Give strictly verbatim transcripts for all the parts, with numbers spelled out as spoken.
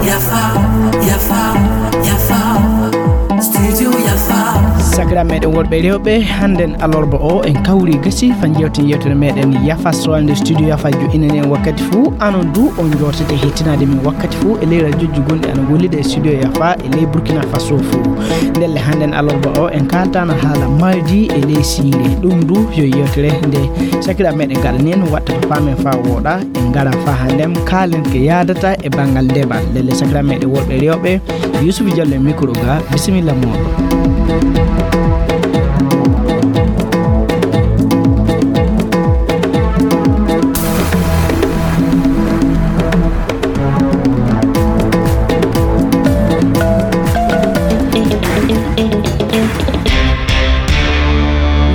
Yafa, yafa, yafa. Studio Yafa. Sakiraaɓe meɗen worɓe e rewɓe, hannden alarba o en kawri gasi fa jewten yewtere meɗen Yafa, so wonde studio Yafa jo inani en wakkati fuu. Anon du on jootete hettinaade min wakkati fuu e ley rajooji gonɗi ana gollida e studio Yafa e ley Burkina Faso fuu. Ndelle hannden alarba o en kaaltana haala mardi e ley siire. Ɗum du yo yewtere nde sakiraaɓe meɗen gaɗani en watta ko paamen faa wooɗa. En ngara faa hannden kaalen ko yaadata e banngal ndemal. Ndelle sakiraaɓe meɗen worɓe e rewɓe, Yusufu Jallo e micro ga, bisimilla mooɗon.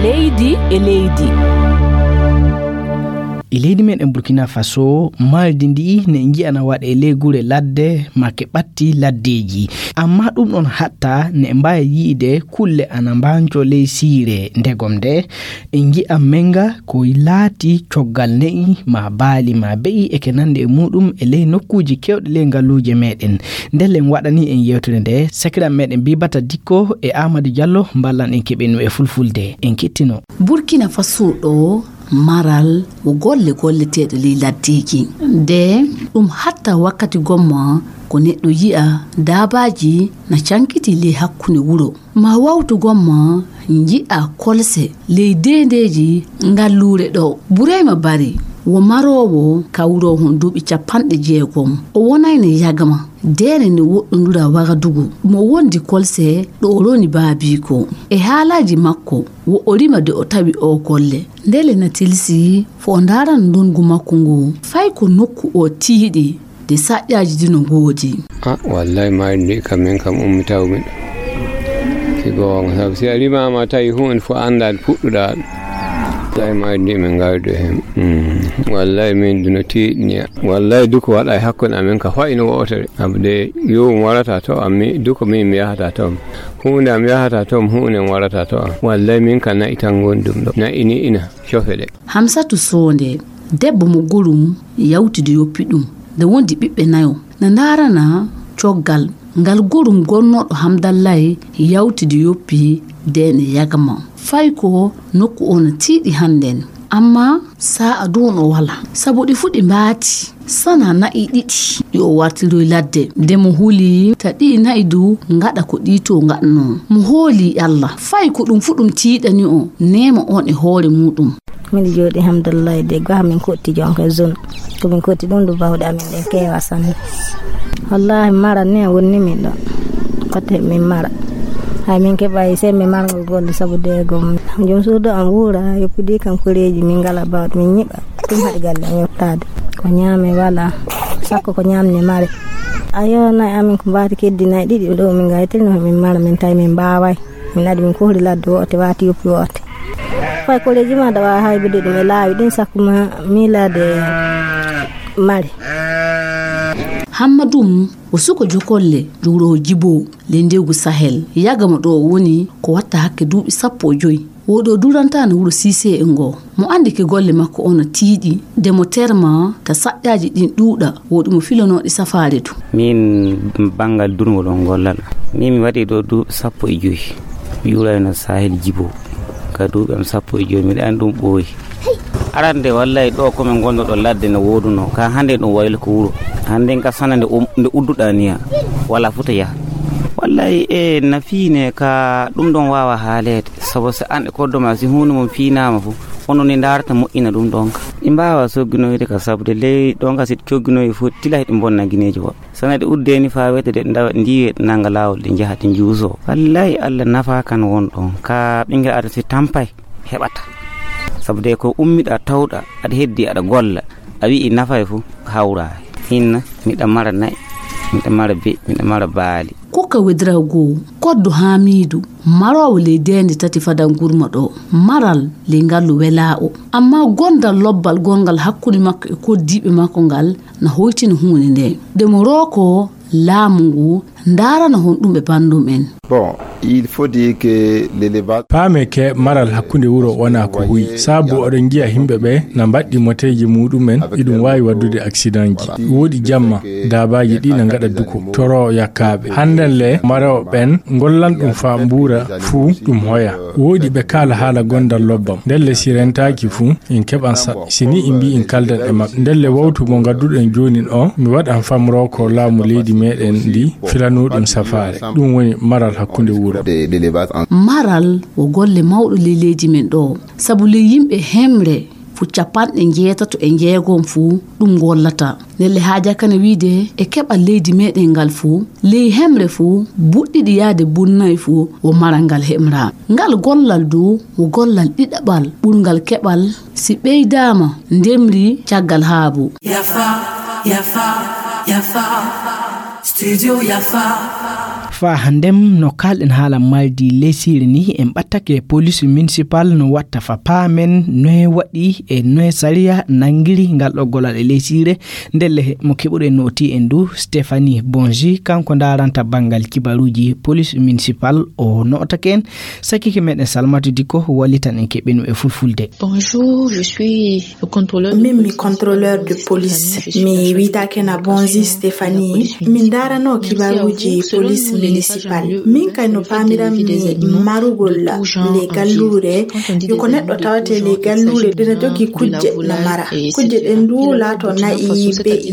Leydi e leydi. E leydi meɗen Burkina Faso, mardi ndi ne nji'ana waɗe ley gure ladde, make ɓatti laddeeji. Amma ɗum ɗon hatta ne mbaawi yi'ide kulle ana mbanco ley siire. Ndegom nde, en nji'a menga ko laati coggal ne'i, ma baali, ma be'i, e ke nande e muɗum e ley nokkuuji kewɗi ley ngaluuje meɗen. Ndelle en waɗani en yewtere nde, sakiraaɓe meɗen Bibata Dikko e Amadou Diallo mballan en keɓen e fulfulde. En kettino. Burkina Faso ɗo, maral wo golle golleteeɗe ley laddeeji. Nde ɗum hatta wakkati gomma ko neɗɗo yi'a daabaaji na cankiti ley hakkunde wuro. Ma wawtu gomma nji'a kolse ley deendeeji ngalluure ɗo. Burayma Bari wo maroowo kawroowo hon duuɓi capanɗe jeegom. O wonayno yagma. Deene nde woɗɗondura Wagadugu, mo wondi kolse ɗo o roni baabiiko. E haalaaji makko, wo o rima de o tawi o golle. Ndele na tilsi fo o ndaarana ndongu makko ngu. Fay ko nokku o tiiɗi, de saƴƴaaji dino ngoodi. A, wallahi, mayri ndi kam, min kam ummitawmi. Si goonga, sabu si a rimaama tawi huunde fof anndaa nde puɗɗuɗaa ɗum. Wallahi, mayri ndi min ngawdo heen. Mm. Wallahi, min dino tiiɗniya. Wallahi, duko waɗa e hakkunde amen ka fayi no wootere. Abde, yo um warata to am, mi, duko min mi yahata to am. Huunde am yahata to am, huunde am warata to am. Wallahi, min ka na'i tan ngoni ɗum ɗo. Na'i ni ina cofe ɗe. Hamsatu Soonde, debbo mo gorum yawtidi yoppi ɗum. Nde wondi ɓiɓɓe nayo. Na ndaarana coggal ngal gorum gonnooɗo Hamdallaay yawtidi yoppi deene yagma. Fay ko nokku o na tiiɗi hannden. Amma sa'a du no wala. Sabu ɗi fu ɗi mbaati. Sana na'i ɗiɗi ɗi o wartiroy ladde. Nde mo huli ta ɗi na'i du ngaɗa ko ɗi to ngaɗno. Mo hooli Allah. Fay ko ɗum fu ɗum tiiɗani o. Neema on e hoore muɗum. Min jooɗi, alhamdulillahi, de gaha min kotti jonka zone. Ko min kotti ɗum ɗo bawɗe amin ɗen keewa sanne. Wallahi, mara ne wonni min ɗon. Kotte min mara. Hay min keɓa e sembe margo golle sabu de gom. Jom suudu am wuura, yoppidi kan koreeji min ngala bawɗe min nyiɓa. Ɗum haɗi galle am yottaade. Ko nyaame wala. Sakko ko nyaamne mare. Ayo, nay amin ko mbaati keddi nay ɗiɗi ɗo min ngaytirno min mara min tawi min mbaaway. Min adi min kohri ladde woote waati yoppi woote. Fay koleji ma dawa haybude ɗum e laawi ɗin sakko ma miilaade mare. Hammadum o suko jokolle juuro jibo le ndegu Sahel. Yagama ɗo o woni ko watta hakke duuɓi sappo e joyi. Woɗo duranta no wuro Sise e ngo. Mo andi ke golle makko on tiiɗi, de mo terma ka saƴƴaaji ɗin ɗuuɗa, woɗi mo filonooɗi safaare du. Min banngal durngol on gollal. Min mi waɗi ɗo duuɓi sappo e joyi. Mi yuurayno Sahel Jibo. Ka duuɓi am sappo e joyi, miɗa andi ɗum ɓooyi. Arande wallay ɗo ko min gonno ɗo ladde no woduno. Ka hande ɗum waylo ko wuro. Hande ka sana nde um-, nde udduɗa niya. Wala futa yaha. Wallay e na fiine ka ɗum ɗon wawa haalede. Sabu so an e koddo ma, si huunde mum fiinaama fof, onon ne ndaarata moƴƴina ɗum ɗon ka. Ɗi mbaawa sogginoyde ka, sabu de ley ɗon ka, si ɗi cogginoyi fof, tila heɗi mbonna gineeji woɓɓe. Sana ɗi uddeeni faa wete de, ndawa, ndiwe nannga laawol, ɗi njaha, ɗi njuusoo. Wallaahi, Allah nafa kan won ɗon. Ka ɓinngel aada si tampay, heɓata. Sabu de ko ummiɗa, tawɗa, aɗa heddi, aɗa golla, a wi'i nafay fof, hawra. Hinna, miɗa mara na'i, miɗa mara be'i, miɗa mara baali. Kuka wedira goo, koddo Haamiidu, maroowo ley deende tati fadan gurma ɗo, maral ley ngallu welaa o. Ammaa gondal lobbal gonngal hakkunde makko e koddiiɓe makko ngal na hoytina huunde nde. Nde mo rooko laamu ngu ndaarana honɗum e banndum en. Bon, Il faut dire que l'élevage. Paame ke maral hakkunde wuro wona ko huyi. Sabu oɗon njiya yimɓe ɓe na mbaɗɗi moteeji muɗumen, iɗum waawi waɗdude accident ji. Woodi jamma, daabaaji ɗi na ngaɗa duko, toro yakkaaɓe. Hannden le, marooɓe ɓen ngollan ɗum faa mbuura fuu ɗum hoya. Woodi ɓe kaala haala gondal lobbam. Ndelle si rentaaki fuu, en keɓan sa-, si ni en mbii en kaldan e maɓɓe. Ndelle wawtu mo ngadduɗen joonin o, mi waɗan famroo ko laamu leydi meɗen ndi filanuɗum safaare. Ɗum woni maral hakkunde wuro. De, de l'élevage en. Maral wo golle mawɗo ley leydi men ɗo. Sabu ley yimɓe hemre fu capanɗe njeetato e njeegom fuu ɗum gollata. Ndelle haaja kana wiide e keɓal leydi meɗen ngal fuu, ley hemre fuu, buɗɗiɗi yaade bunnayi fuu wo maral ngal hemra. Ngal gollal du wo gollal ɗiɗaɓal ɓurngal keɓal si ɓeydaama ndemri caggal haabu. Yafa, yafa, yafa. Studio Yafa. Fa handem no kalɗen haala maldi lesiri ni en ɓattake police municipal no watta fa paamen noye waɗi e noye sariya nangiri ngal ɗo golal e lesire. Ndelle mo keɓuɗen noti en du Stéphanie Bonji, kanko ndaranta bangal kibaruji police municipal o notake en. Sakike meɗen Salmatu Diko wallitan en keɓenu e fulfulde. Bonjour, je suis le contrôleur de Min mi police. Contrôleur de police. Mi wiyetee Bonzi Stéphanie. Min ndaranoo kibaruuji police municipal. Min kay no paamiranmi marugol le galluure. Yo ko neɗɗo tawatee le galluure ɗina jogii kujje na mara. Kujje ɗen du laato na'i, be'i,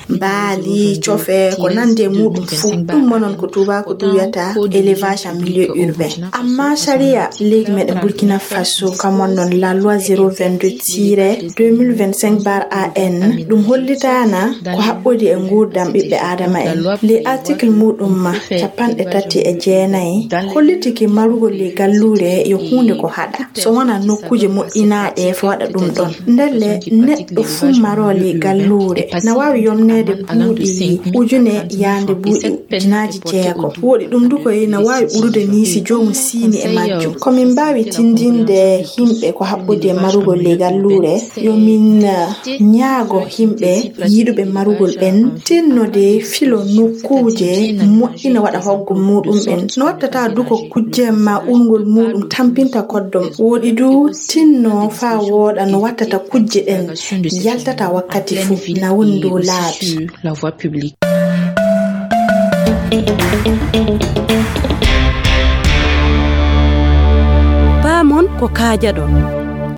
mbaali, cofe, ko nandi e muɗum fuu. Ɗum mo non ko tuubaaku ɗum wiyata élevage en milieu urbain. Amma sariya leydi meɗen Burkina Faso, kam wonɗon la loi zéro vingt-deux tiret deux mille vingt-cinq bar A N, ɗum hollitaana ko haɓɓodi e nguurndam ɓiɓɓe Aadama en. Ley article muɗum ma capanɗe tati e jeenayi, hollitiki marugol le galluure yo huunde ko haɗa. So wonaa nokkuuje moƴƴinaaɗe fo waɗa ɗum ɗon. Ndelle neɗɗo fuu maroo le galluure na waawi yomneede buuɗi ujune yaande buuɗi ujunaaji jeego. Woɗi ɗum du koy na waawi ɓurude ni si joomum siini e majjum. Ko min mbaawi tindinde yimɓe ko haɓɓodi e marugol le galluure, yo min, eh, ñaago yimɓe yiɗuɓe marugol ɓen tinnode filo nokkuuje moƴƴina waɗa hoggol muɗum en. No wattata du ko kujje ma ɓurngol muɗum tampinta koddom. Woɗi du tinno faa wooɗa no wattata kujje ɗen yaltata wakkati fuu na woni dow laabi. La voie publique. Paamon ko kaajaɗon.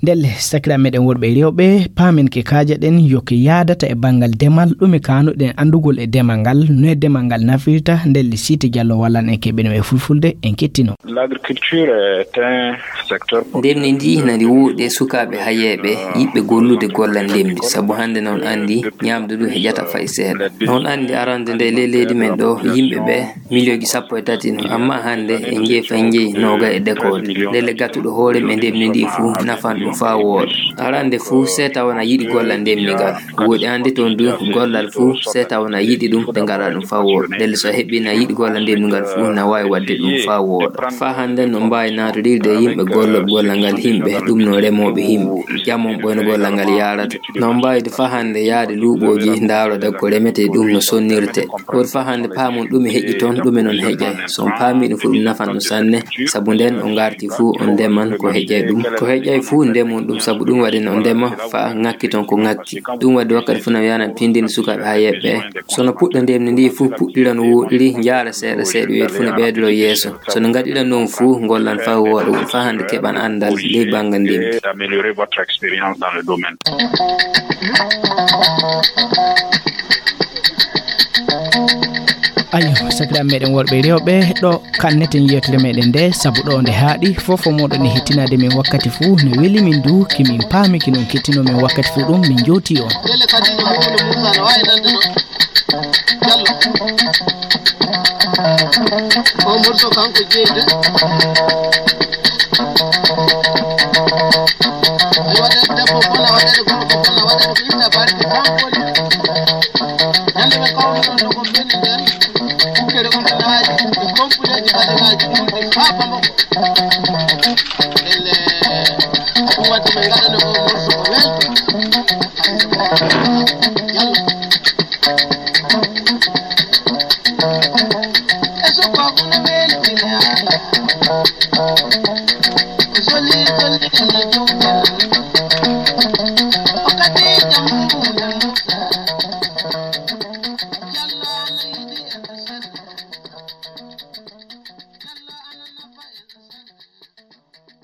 Ndelle, sakiraaɓe meɗen worɓe e rewɓe, paamen ke kaajaɗen yo ke yaadata e banngal demal, ɗume kaanuɗen anndugol e demal ngal, no e demal ngal nafirta, ndelle Siiti Jallo wallan en keɓen e fulfulde, en kettino. L'agriculture est un secteur. Ndemri ndi nani wuuɗe sukaaɓe hayeeɓe yiɗɓe gollude gollal ndemri, sabu hannde noon anndi ñaamdu ndu heƴata fay seeɗa. Noon anndi arande nde ley leydi men ɗo yimɓe ɓe miliyonji sappo e tati no, amma hannde en njeyi fay njeyi nooga e dekoode. Ndelle gatuɗo hoore mum e ndemri ndi fuu nafan ɗum faa wooɗa. Arande fuu seeta wona yiɗi gollal ndemri ngal. Woɗi hannde toon du gollal fuu seeta wona yiɗi ɗum ɓe ngaɗa ɗum faa wooɗa. Ndelle so heɓi na yiɗi gollal ndemri ngal fuu na waawi waɗde ɗum faa wooɗa. Faa hannde no mbaawi naatodirde yimɓe gollooɓe gollal ngal yimɓe, ɗum no remooɓe yimɓe. Jamon ɓoyno gollal ngal yaarata. No mbayde faa hannde yaade luuɓooji ndaarode ko remetee ɗum no sonnirte. Woodi faa hannde paamon ɗume heƴi toon, ɗume noon heƴay. So on paamii ɗum fuu ɗum nafan ɗum sanne, sabu nden on ngarti fuu on ndeman ko heƴay ɗum. Ko heƴay fuu ndemon ɗum sabu ɗum waɗi no ndema faa ŋakki toon ko ŋakki. Ɗum waɗi wakkati fuu no wiyanam tindini sukaaɓe haa yeɓɓe. So no puɗɗa ndemni ndi fuu puɗɗira no woɗiri njaara seeɗa seeɗa wiyete fuu no ɓeydoro yeeso. So no ngaɗira noon fuu, ngollan faa wooɗa, faa hannde keɓan anndal ley banngal ndemri. Et d'améliorer votre expérience dans le domaine. Ayo, sakiraaɓe meɗen worɓe e rewɓe, ɗo kanneten yewtere meɗen nde, sabu ɗo nde haaɗi, fof o moɗon e hettinaade min wakkati fuu, no weli min du, ki min paami, ki non kettino min wakkati fuu ɗum, min jowti on. Ndelle kadi no Mamadou Moussa no waawi nande ɗo. Diallo. O morceau kanko jeyi de. Ay waɗede debbo bona, waɗede gorko bona, waɗede ko itta barke tan boni. Ñande ɓe kawri ɗon ɗo ko beni nden, kukkere on ɗaaji e kompuleeji ɓaleeji ɗum ɗi faa Bamako. Elle, ɗum waɗi ɓe ngaɗana o morceau ko welto.